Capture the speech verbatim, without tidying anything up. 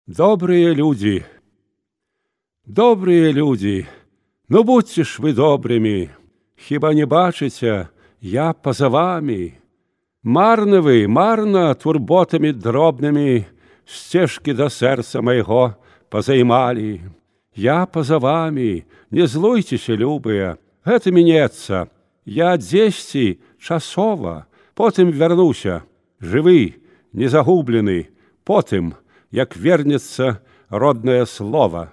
Добрые люди, добрые люди, ну будьте ж ви добрими, хіба не бачите, я поза вами. Марно ви, марно турботами дробними стежки до сердца моего позаймали. Я поза вами, не злуйтесь, любые, это минется. Я десяти часова, потым вернуся, живы, не загублены, потым, як вернется родное слово.